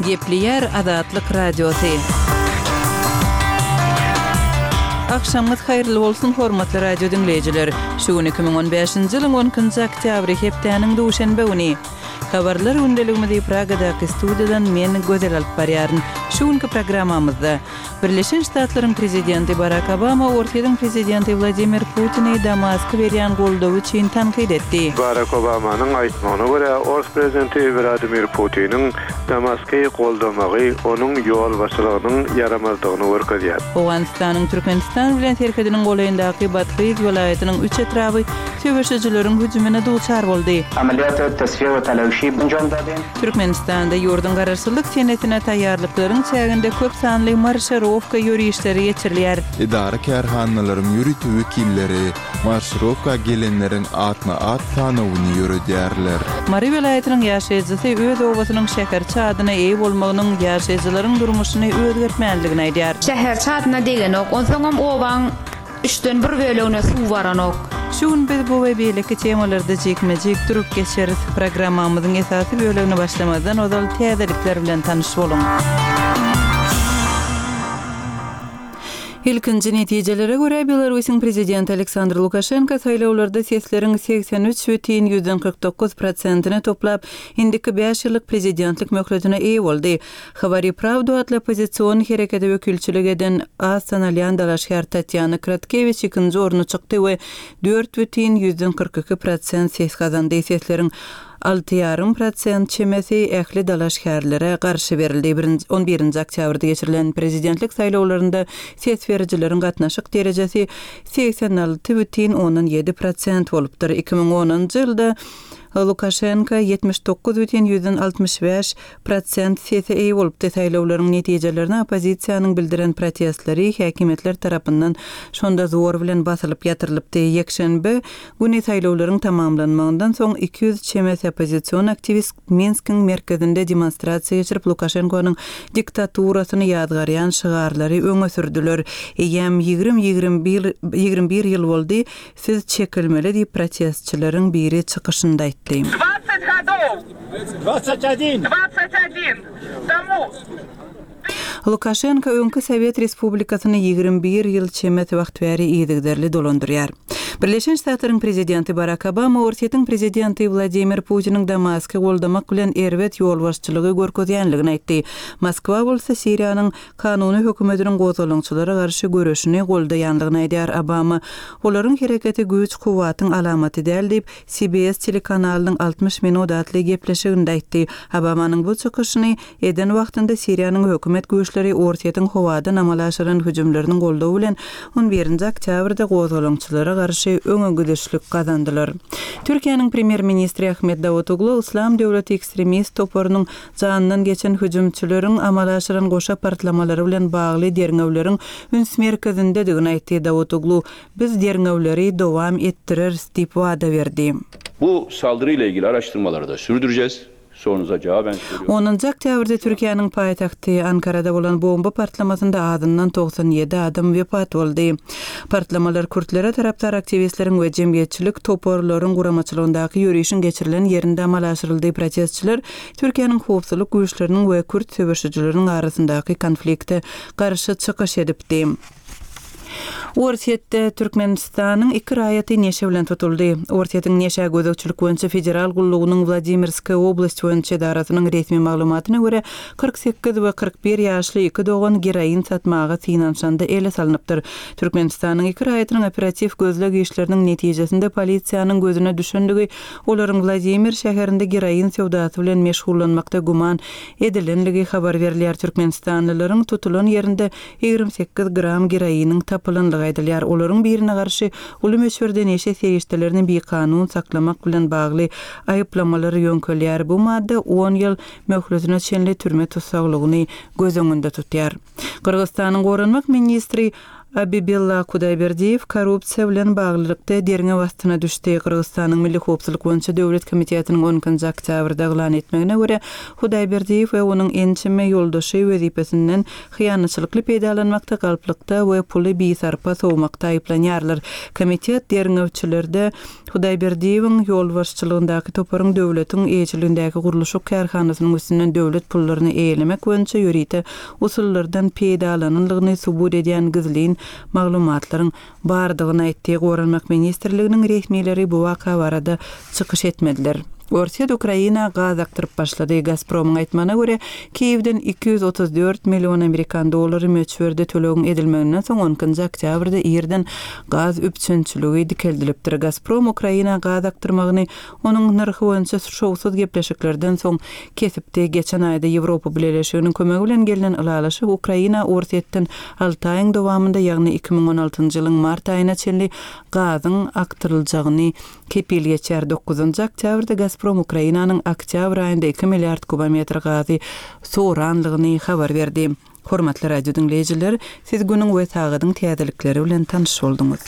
Gepleýär Azatlyk Radiosy. Agşamyňyz haýyrly bolsun, hormatly radio diňleýjiler! Şu gün 2015-nji ýylyň on ikinji oktýabry, hepdäniň duşenbe güni. Habarlar gündeligimizi Pragadaky studiýadan men, Gözel alyp barýaryn. Şu günki programmamyzda, Birleşen Ştatlaryň prezidenti Barak Obama Orsýetiň prezidenti Wladimir Putini Damaska berýän goldawy üçin tankyt etdi. Barak Obamanyň aýtmagyna görä, ors prezidenti Wladimir Putiniň Damasky goldamagy onuň ýolbaşçylygynyň ýaramazdygyny görkezýär. Owganystanyň Türkmenistan bilen serhediniň golaýyndaky Bathyz welaýatynyň üç etraby söweşijileriň hüjümine duçar boldy. Amaliyat tasfiye we talawşi enjam dadin. Türkmenistanda ýurduň Garaşsyzlyk senesine taýýarlyklaryň çäginde köp sanly marşirowka ýörişleri geçirilýär. Edara-kärhanalaryň ýörite wekilleri marşirowka gelenleriň atma-at sanawyny ýöredýärler. Mary welaýatynyň ýaşaýjysy öz obasynyň şäherçe adyna eýe bolmagynyň ýaşaýjylaryň durmuşyny özgertmändigini aýdýar. Şäherçe adyna degenok. Onsoňam obaň Üçden bir bölegine suw baranok. Şu gün biz bu we beýleki temalarda jikme-jik durup geçeris. Programmamyzyň esasy bölegine başlamazdan ozal täzelikler bilen tanyş boluň. Ilkinji netijelere görä, Belarusyň prezidenti Aleksandr Lukaşenko saýlawlarda sesleriň 83 bütin ýüzden 49 prosentini toplap, indiki bäş ýyllyk prezidentlik möhletine eýe boldy. Hawari Prawdu atly oppozision herekete wekilçilik eden az tanalýan dalaşgär Tatýana Kratkewiç ikinji orna çykdy we 4,42 prosent ses gazandy. Sesleriň alty ýarym prosent çemesi ähli dalaşgärlere garşy berildi. Birinji, on birinji oktýabrda geçirilen prezidentlik saýlawlarynda ses berijileriň gatnaşyk derejesi 86,7 prosent bolupdyr. 2010-njy ýylda Lukaşenko 79,65 Prosent sese eýe bolupdy. Saýlawlaryň netijelerine oppozisiýanyň bildiren protestleri häkimiýetler tarapyndan şonda zor bilen basylyp ýatyrylypdy. Ýekşenbe güni saýlawlaryň tamamlanmagyndan soň 200 çemesi oppozision aktiwist Minskiň merkezinde demonstrasiýa geçirip, Lukaşenkonyň diktaturasyny ýazgarýan şygarlary öňe sürdüler. Eýýäm ýigrim 21 21 ýyl boldy, siz çekilmeli diýip, protestçileriň biri çykyşynda aýtdy. Dwadsat godow! Lukaşenko öňki sowet respublikasyny 21 ýyl çemesi wagt bäri yzygiderli dolandyrýar. Birleşen Ştatlaryň prezidenti Barak Obama Orsýetiň prezidenti Wladimir Putiniň Damasky goldamak bilen erbet ýolbaşçylygy görkezýänligini aýtdy. Moskwa bolsa Siriýanyň kanuny hökümetiniň gozgalaňçylara garşy göreşini goldaýanlygyny aýdýar. Obama olaryň hereketi güýç-kuwwatyň alamaty däl diýip, CBS telekanalynyň 60 minut atly gepleşiginde aýtdy. Obamanyň bu çykyşyny eden wagtynda Siriýanyň hökümet güýçleri Orsýetiň howadan amala aşyran hüjümleriniň goldawy bilen on birinji oktýabrda gozgalaňçylara garşy öňe gidişlik gazandylar. Türkiýäniň premýer-ministri Ahmet Dawutoglu Yslam döwleti ekstremist toparynyň janyndan geçen hüjümçileriň amala aşyran goşa partlamalary bilen bagly derňewleriň üns merkezindedigini aýtdy. Dawutoglu Biz derňewleri dowam etdireris diýip wada berdi. Bu saldırı ile ilgili araştırmaları da sürdüreceğiz. Sorunuza cevaben söylüyorum. Onunjy oktýabrda Türkiýäniň paýtagty Ankarada bolan bomba partlamasynda azyndan 97 adam wepat boldy. Partlamalar kürtlere tarapdar aktiwistleriň we jemgyýetçilik toparlaryň guramaçylygyndaky ýörişiň geçirilen ýerinde amala aşyryldy. Protestçiler Türkiýäniň howpsuzlyk güýçleriniň we kürt söweşijileriniň arasyndaky konflikte garşy çykyş edipdi. Orsýetde Türkmenistanyň iki raýaty neşe bilen tutuldy. Orsýetiň Neşä gözegçilik boýunça federal gullugynyň Wladimirskaýa oblast boýunça edarasynyň resmi maglumatyna görä, 48 we 41 ýaşly iki dogan geroin satmaga synanyşanda ele salnypdyr. Türkmenistanyň iki raýatynyň operatiw gözleg işleriniň netijesinde polisiýanyň gözüne düşendigi, olaryň Wladimir şäherinde geroin söwdasy bilen meşgullanmakda güman edilenligi habar berilýär. Türkmenistanlylaryň tutulan ýerinde 28 gram geroiniň tapylandygy aýdylýar. Olaryň birine garşy uly möçberde neşe serişdelerini bikanun saklamak bilen bagly aýyplamalar ýöňkelýär. Bu madda on ýyl möhletine çenli türme tussaglygyny göz öňünde tutýar. Gyrgyzystanyň goranmak ministri. Abibilla Kudaýberdiýew korrupsiýa bilen baglylykda derňew astyna düşdi. Gyrgyzystanyň Milli howpsuzlyk boýunça döwlet komitetiniň on ikinji oktýabrda yglan etmegine görä, Hudaýberdiýew we onuň ençeme ýoldaşy wezipesinden hyýanatçylykly peýdalanmakda, galplykda we puly bisarpa sowmakda aýyplanýarlar. Komitet derňewçilerde Hudaýberdiýewiň ýolbaşçylygyndaky toparyň döwletiň eýeçiligindäki gurluşyk kärhanasynyň üstünden döwlet pullaryny eýelemek boýunça ýörite usullardan peýdalananlygyny subut edýän gizlin maglumatlaryň bardygyny aýtdy. Goranmak ministrliginiň resmileri bu waka barada çykyş etmediler. Orsýet Ukraina gaz akdyryp başlady. Gazpromyň aýtmagyna görä, Kiýewden 234 million amerikan dollary möçberde tölegiň edilmeginden soň on ikinji oktýabrda irden gaz üpjünçiligi dikeldilipdir. Gazprom Ukraina gaz akdyrmagyny onuň nyrhy boýunça şowsuz gepleşiklerden soň kesipdi. Geçen aýda Ýewropa Bileleşiginiň kömegi bilen gelnen ylalaşyk Ukraina Orsýetden alty aýyň dowamynda, ýagny 2016 njy ýylyň mart aýyna çenli gazyň akdyryljagyny kepil geçýär. Dokuzynjy oktýabrda Gazprom Ukrainanyň oktýabr aýynda iki milliard kubometr gazy soranlygyny habar berdi. Hormatly radio diňleýjiler, siz günüň we sagadyň täzelikleri bilen tanyş bolduňyz.